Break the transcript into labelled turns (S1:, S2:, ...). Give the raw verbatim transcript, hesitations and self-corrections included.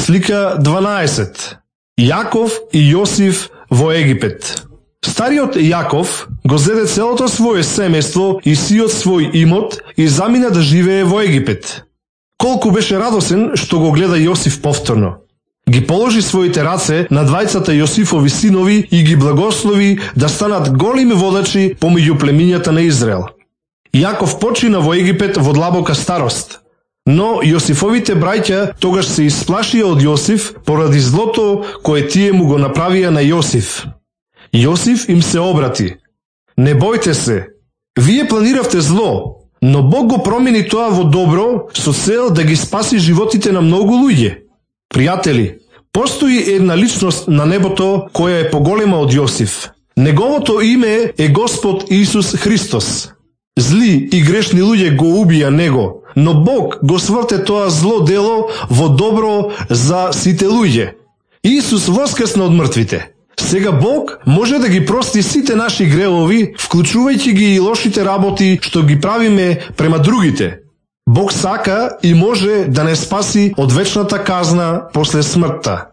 S1: Слика дванаесет. Јаков и Јосиф во Египет. Стариот Јаков го зеде целото свое семејство и сиот свој имот и замина да живее во Египет. Колку беше радосен што го гледа Јосиф повторно. Ги положи своите раце на двајцата Јосифови синови и ги благослови да станат големи водачи помеѓу племињата на Израел. Јаков почина во Египет во длабока старост, но Јосифовите браќа тогаш се исплашија од Јосиф поради злото кое тие му го направија на Јосиф. Јосиф им се обрати: не бојте се, вие планиравте зло, но Бог го промени тоа во добро со цел да ги спаси животите на многу луѓе. Пријатели, постои една личност на небото која е поголема од Јосиф. Неговото име е Господ Исус Христос. Зли и грешни луѓе го убија него, но Бог го сврте тоа зло дело во добро за сите луѓе. Исус воскресна од мртвите. Сега Бог може да ги прости сите наши гревови, вклучувајќи ги и лошите работи што ги правиме према другите. Бог сака и може да не спаси од вечната казна после смртта.